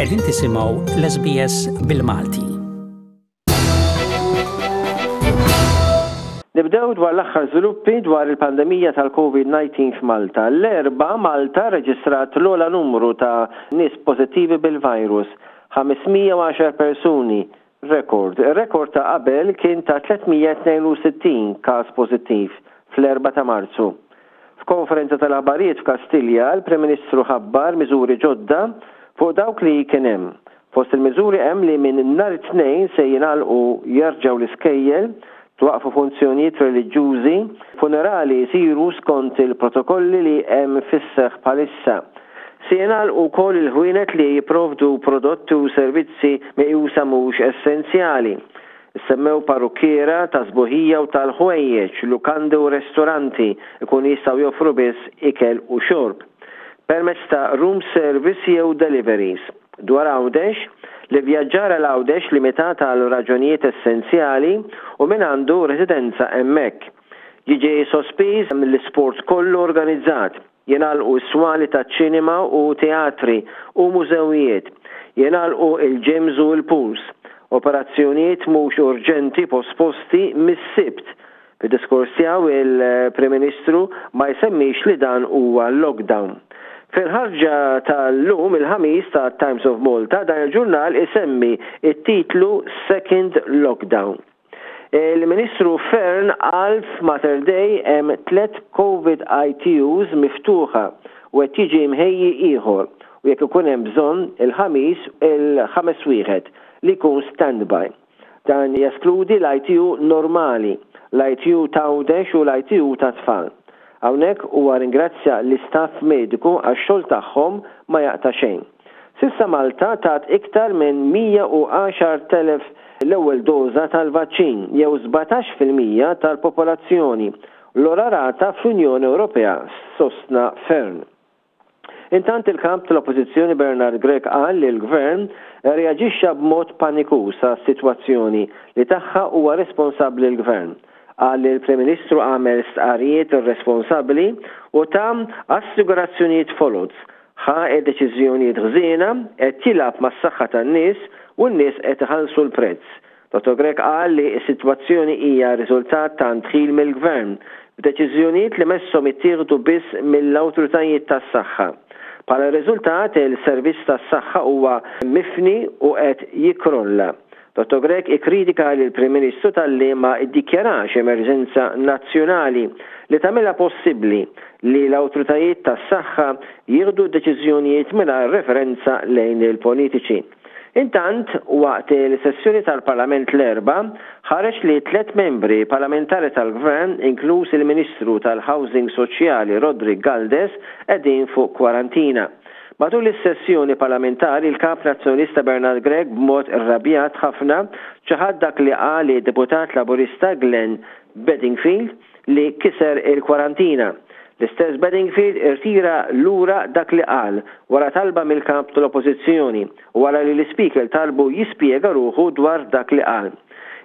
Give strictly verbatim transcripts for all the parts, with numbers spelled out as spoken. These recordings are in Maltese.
Qegħdin tisimgħu l-S B S bil-Malti. Nibdew dwar l-aħħar żviluppi dwar il-pandemija tal-Covid nineteen f'Malta. L-Erbgħa Malta reġistrat l-ogħla numru ta' nies pożittivi bil-virus, ħames mija u għaxar persuni, rekord. Ir-rekord ta' qabel kien ta' tliet mija tnejn u sittin każ pożittiv fl-erbgħa ta' Marzu. F'konferenza tal-aħbarijiet f'Kastilja, il-Prim Ministru ħabbar miżuri ġodda fuq dawk li kien hemm. Fost il-miżuri hemm li minn nhar it-Tnejn se jingħalqu jerġgħu l-iskejjel, twaqfu funzjonijiet reliġjużi, funerali jsiru skont il-protokolli li hemm fis-seħħ bħalissa. Se jingħalqu wkoll il-ħwienet li jipprovdu prodotti u servizzi meqjusa mhux essenzjali. Semmew parrukkiera ta' sbuħija u tal-ħwejjeġ, lukandi u ristoranti ikun jistgħu joffru biss ikel u xorb permezz ta' room service jew deliveries. Dwar Għawdex, l-ivvjaġġar għal Għawdex limitat għal raġunijiet essenzjali u min għandu residenza hemmhekk. Jiġi sospiż l-isport kollu organizzat, jingħalqu s-swali ta' ċinema u teatri u mużewijiet, jingħalqu il-gyms u l-pools, operazzjonijiet mhux urġenti posposti mis-Sibt. Fid-diskors tiegħu il-Prim Ministru ma jsemmix li dan huwa lockdown. Fil-ħarġa tal-lum il-Ħamis ta' Times of Malta, dan il-ġurnal isemmi it-titlu Second Lockdown. Il-Ministru Fearne qal f'Mater Dei hemm tlet COVID I T Us miftuħa u qed jiġi mħejji ieħor u jekk ikun hemm bżonn il-Ħamis il-ħames wieħed li jkun standby. Dan jeskludi l-I T U normali, l-I T U t'Għawdex u l-I T U ta' tfal. Hawnhekk huwa ringrazzja l-istaff mediku għax-xogħol tagħhom ma jaqta' xejn. S'issa Malta tat iktar minn mija u għaxart elef l-ewwel doża tal-vaċċin jew sbatax fil-mija tal-popolazzjoni. L-ogħla rata fl-Unjoni Ewropea, sostna Fearne. Intant, il-kap tal-Oppożizzjoni Bernard Grech qal li l-Gvern reaġixxa b'mod panikuż għas-sitwazzjoni li tagħha huwa responsabbli l-Gvern. Qal li l-Prim Ministru għamel stqarrijiet irresponsabbli u ta assigurazzjonijiet foloz, ħa deċiżjonijiet ħżiena, qed jilgħab mas-saħħa tan-nies u n-nies qed iħallsu l-prezz. Dottor Grech qal li s-sitwazzjoni hija riżultat ta' ndħil mill-Gvern b'deċiżjonijiet li messhom ittieħdu biss mill-awtoritajiet tas-saħħa. Bħala riżultat, il-servizz tas-saħħa huwa mifni u qed jikrolla. Dottor Grech ikkritika lill prim Ministru talli ma iddikjarax emerġenza nazzjonali li tagħmilha possibbli li l-awtoritajiet tas-saħħa jieħdu deċiżjonijiet mingħajr referenza lejn il-politiċi. Intant, waqt il-sessjoni tal-Parlament l-Erbgħa, ħareġ li tlet membri parlamentari tal-Gvern, inkluż il-Ministru tal-Housing Soċjali Roderick Galdes, qegħdin fuq kwarantina. Matul is-sessjoni parlamentari, il-kap nazzjonalista Bernard Grech b'mod irrabjat ħafna ċaħad dak li qal deputat laburista Glenn Bedingfield li kiser il-kwarantina. L-istess Bedingfield irtira lura dak li qal wara talba mill-kap tal-Oppożizzjoni u wara li l-Speaker talbu jispjega ruħu dwar dak li qal.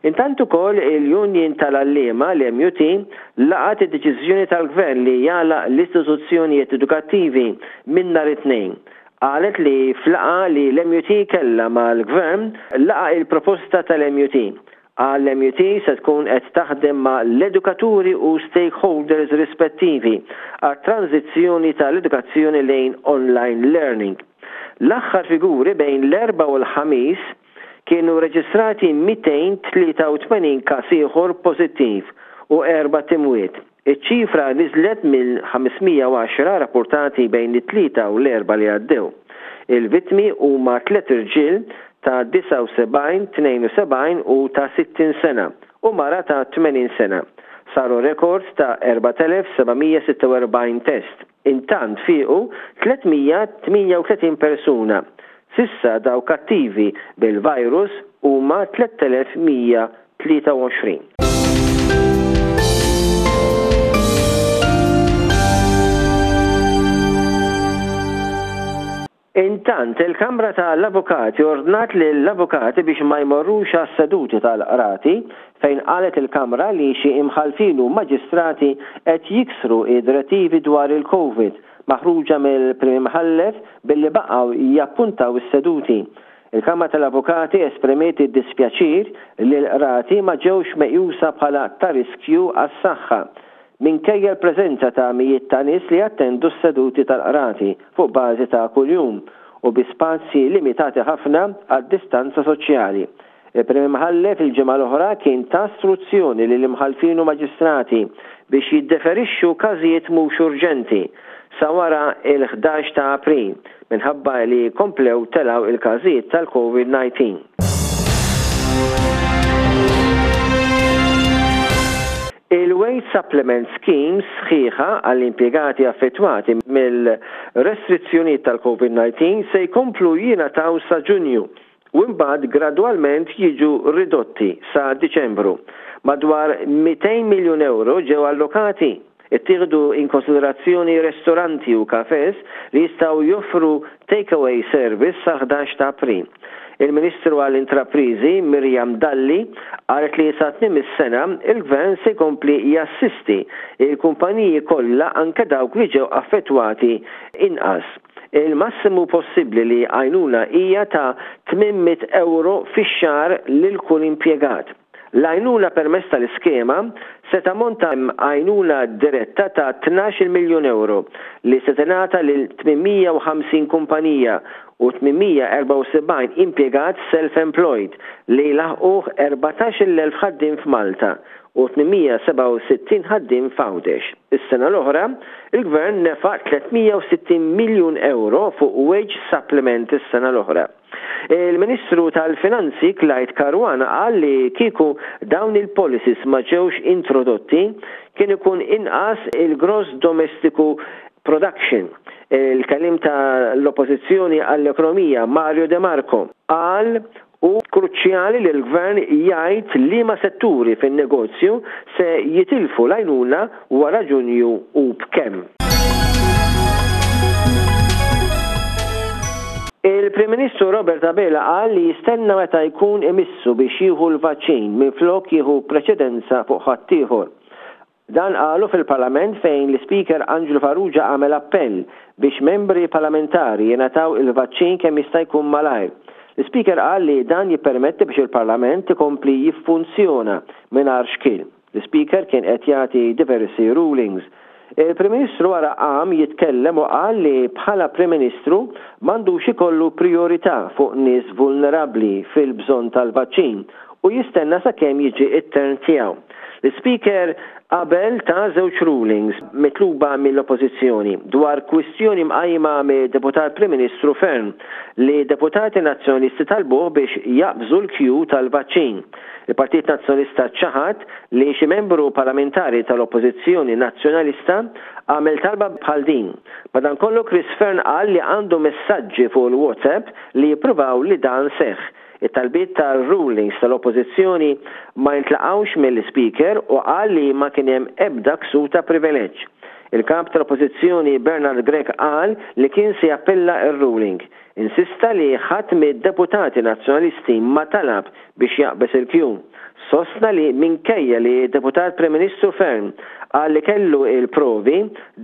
Intant ukoll il-Union tal-Għalliema, l-M U T, laqat id-deċiżjoni tal-Gvern li jagħlaq l-istituzzjonijiet edukattivi minn nhar it-Tnejn. Qalet li f'laqgħa li l-M U T kella mal-Gvern laqa il-proposta tal-M U T. Għall-M U T se tkun qed taħdem ma' l-edukaturi u stakeholders rispettivi għat-tranzizzjoni tal-edukazzjoni lejn online learning. L-aħħar figuri: bejn l-Erbgħa u l-Ħamis kienu reġistrati mitejn tlieta u tmenin każ ieħor pożittiv u erbat imwiet. Iċ-ċifra niżlet minn ħames mija u għaxra rapportati bejn it-Tlieta u l-Erbgħa li għaddew. Il-vittmi huma tliet irġiel ta' disgħa u sebgħin, tnejn u sebgħin u ta' sittin sena u mara ta' tmenin sena. Saru rekord ta' erbat elef seba' mija sitta u erbgħin test. Intant fiqu tliet mija tmienja u tletin persuna. S'issa dawk attivi bil-virus huma tliet elef mija tlieta u għoxrin. Intant, il-Kamra tal-Avukati ordnat lill-avukati biex ma jmorrux għas-seduti tal-qrati, fejn qalet il-Kamra li xi imħalfin u maġistrati qed jiksru id-direttivi dwar il-Covid maħruġa mill-Prim Imħallef billi baqgħu jappuntaw is-seduti. Il-Kamra tal-Avukati esprimiet id-dispjaċir li l-qrati ma ġewx meqjusa bħala ta' riskju għas-saħħa minkejja l-preżenza ta' mijiet ta' nies li jattendu s-seduti tal-qrati fuq bażi ta' kuljum u bi spazji limitati ħafna għad-distanza soċjali. Il-Prim Imħallef il-ġimgħa l-oħra kien ta struzzjoni lill-imħallfin u maġistrati biex jiddeferixxu każijiet mhux urġenti sa wara il-ħdax ta' April minħabba li komplew telgħu il-każijiet tal-COVID nineteen. Il-Wage Supplement Scheme sħiħa għall-impjegati affettwati mill-restrizzjonijiet tal-COVID nineteen se jkomplu jingħataw sa Ġunju u mbagħad gradwalment jiġu ridotti sa Diċembru. Madwar mitejn miljun euro ġew allokati. Ittieħdu in konsiderazzjoni ristoranti u kafes li jistgħu joffru takeaway service sa ħdax ta' April. Il-Ministru għall-Intraprizi Miriam Dalli qalet li sa tmiem is-sena il-Gvern se jkompli jassisti il-kumpaniji kollha, anke dawk li ġew affettwati inqas. Il-massimu possibbli li għajnuna hija ta' tmien mitt euro fix-xahar lil kull impjegat. L-għajnuna permezz tal-iskema se tammonta għajnuna diretta ta' tnax-il miljun euro li se tingħata lil tmien mija u ħamsin kumpanija u tmien mija erbgħa u sebgħin impjegat self-employed li laħqu erbatax-il elf ħaddiem f'Malta u tmien mija sebgħa u sittin ħaddiem f'Għawdex. Is-sena l-oħra, il-Gvern nefaq tliet mija u sittin miljun euro fuq wage supplement is-sena l-oħra. Il-Ministru tal-Finanzi Clyde Caruana qal li kieku dawn il-policies ma ġewx introdotti kien ikun inqas il-gross domestiku production. Il-kelliem tal-Oppożizzjoni għall-Ekonomija Mario De Marco qal hu kruċjali li l-gvern jgħid liema setturi fin-negozju se jitilfu l-għajnuna wara Ġunju u b'kemm. Il-Prim Ministru Robert Abela qal li jistenna meta jkun imissu biex jieħu l-vaċċin minflok jieħu preċedenza fuq ħaddieħor. Dan qalu fil-Parlament fejn l-Speaker Angelo Farrugia għamel appell biex membri parlamentari jingħataw il-vaċċin kemm jista' jkun malajr. L-Speaker qal li dan jippermetti biex il-Parlament ikompli jiffunzjona mingħajr xkil. L-Speaker kien qed jagħti diversi rulings. Il-Prim Ministru wara qam jitkellem u qal li bħala Prim Ministru m'għandux ikollu priorità fuq nies vulnerabbli fil-bżonn tal-vaċċin u jistenna sakemm jiġi it-turn tiegħu. L-Speaker qabel ta żewġ rulings mitluba mill-Oppożizzjoni dwar kwistjoni mqajma mid-Deputat Prim Ministru Fearne li deputati nazzjonalisti talbuh biex jaqbżu l-kju tal-vaċċin. Il-Partit Nazzjonalista ċaħad li xi membru parlamentari tal-Oppożizzjoni Nazzjonalista għamel talba bħal din. Madankollu, Chris Fearne qal li għandu messaġġi fuq il-WhatsApp li jippruvaw li dan seħ. It-talbiet tal-rulings tal-Oppożizzjoni ma jintlaqawx mill-Speaker u qal li ma kien hemm ebda ksur ta' privileġġ. Il-kap tal-Oppożizzjoni Bernard Grech qal li kien se jappella ir-ruling. Insista li ħadd mid-deputati nazzjonalisti ma talab biex jaqbeż il-kju. Sostna li minkejja li deputat Prim Ministru Fearne qal li kellu il-provi,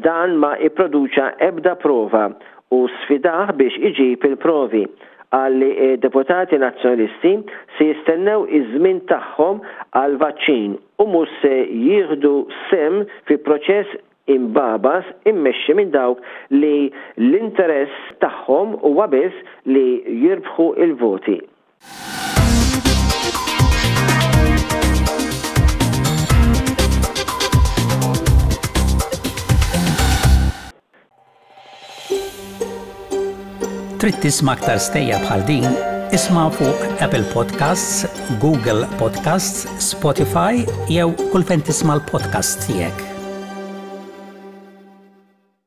dan ma ipproduċa ebda prova u sfidah biex iġib il-provi. Qal li deputati nazzjonalisti se jistennew iż-żmien tagħhom għal vaċċin u mhux se jieħdu sehem fi proċess imbagħbas immexxi minn dawk li l-interess tagħhom huwa biss li jirbħu il-voti. Trid tisma' aktar stejjer bħal din? Isma' fuq Apple Podcasts, Google Podcasts, Spotify jew kull fejn tisma' l-podcast tiegħek.